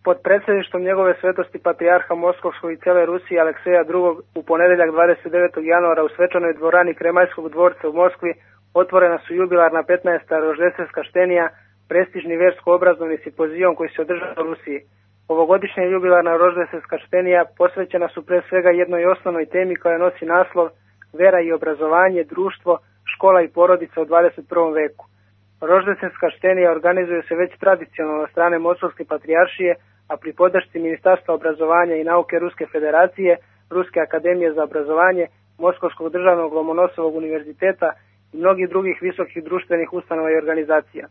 Pod predsjedništvom njegove svetosti patrijarha Moskovskog i cijele Rusije Alekseja II. U ponedjeljak 29. januara u svečanoj dvorani Kremaljskog dvorca u Moskvi otvorena su jubilarna 15. roždeljska štenija, prestižni versko-obrazovni simpozijum koji se održava u Rusiji. Ovogodišnja jubilarna roždeljska štenija posvećena su pre svega jednoj osnovnoj temi koja nosi naslov Vera i obrazovanje, društvo, škola i porodica u 21. veku. Roždeljska štenija organizuje se već tradicionalno od strane Moskovske patrijaršije, a pri podršci Ministarstva obrazovanja i nauke Ruske federacije, Ruske akademije za obrazovanje, Moskovskog državnog Lomonosovog univerziteta i mnogih drugih visokih društvenih ustanova i organizacija.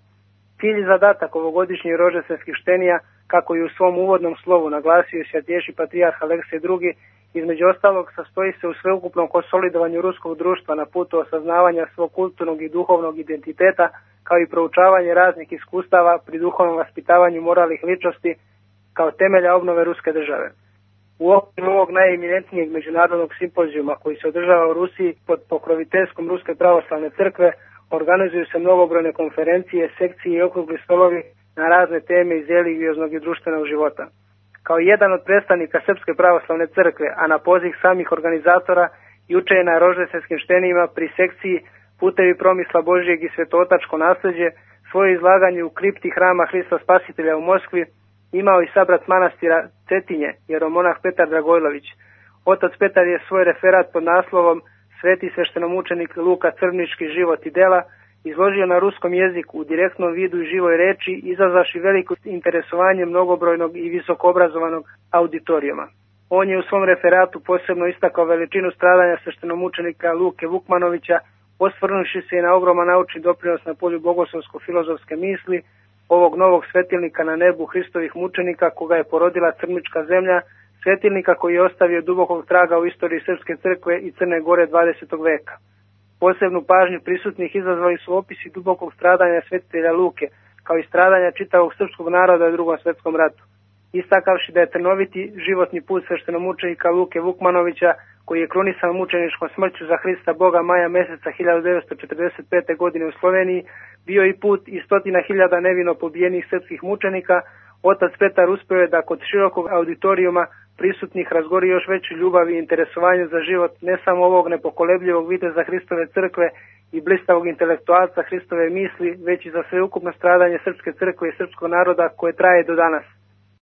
Cilj i zadatak ovogodišnjih roždeljskih štenija, kako i u svom uvodnom slovu naglasio i svятейший patrijarh Aleksej II, između ostalog sastoji se u sveukupnom konsolidovanju ruskog društva na putu osaznavanja svog kulturnog i duhovnog identiteta, kao i proučavanje raznih iskustava pri duhovnom vaspitavanju moralnih ličnosti kao temelja obnove ruske države. U okviru ovog najeminentnijeg međunarodnog simpozijuma koji se održava u Rusiji pod pokroviteljstvom Ruske pravoslavne crkve organizuju se mnogobrojne konferencije, sekcije i okrugli stolovi na razne teme iz religioznog i društvenog života. Kao jedan od predstavnika Srpske pravoslavne crkve, a na poziv samih organizatora, juče je na roždeljskim štenijima pri sekciji Putevi promisla Božijeg i svetootačko nasljeđe svoje izlaganje u kripti hrama Hrista Spasitelja u Moskvi imao i sabrat manastira Cetinje, jeromonah Petar Dragojlović. Otac Petar je svoj referat pod naslovom Sveti sveštenomučenik Luka Crvnički život i dela izložio na ruskom jeziku u direktnom vidu i živoj reči, izazvaši veliko interesovanje mnogobrojnog i visokoobrazovanog auditorijuma. On je u svom referatu posebno istakao veličinu stradanja sveštenomučenika Luke Vukmanovića, osvrnuši se i na ogroman naučni doprinos na polju bogoslovsko-filozofske misli, ovog novog svetilnika na nebu Hristovih mučenika koga je porodila Crnička zemlja, svetilnika koji je ostavio dubokog traga u istoriji Srpske crkve i Crne Gore 20. veka. Posebnu pažnju prisutnih izazvali su opisi dubokog stradanja svetitelja Luke, kao i stradanja čitavog srpskog naroda u Drugom svjetskom ratu. Istakavši da je trnoviti životni put sveštenomučenika Luke Vukmanovića, koji je krunisan mučeničkom smrću za Hrista Boga maja meseca 1945. godine u Sloveniji, bio i put i 100.000 nevino pobijenih srpskih mučenika, otac Petar uspio je da kod širokog auditorijuma prisutnih razgori još veću ljubav i interesovanje za život ne samo ovog nepokolebljivog viteza Hristove crkve i blistavog intelektualca Hristove misli, već i za sveukupno stradanje Srpske crkve i srpskog naroda koje traje do danas.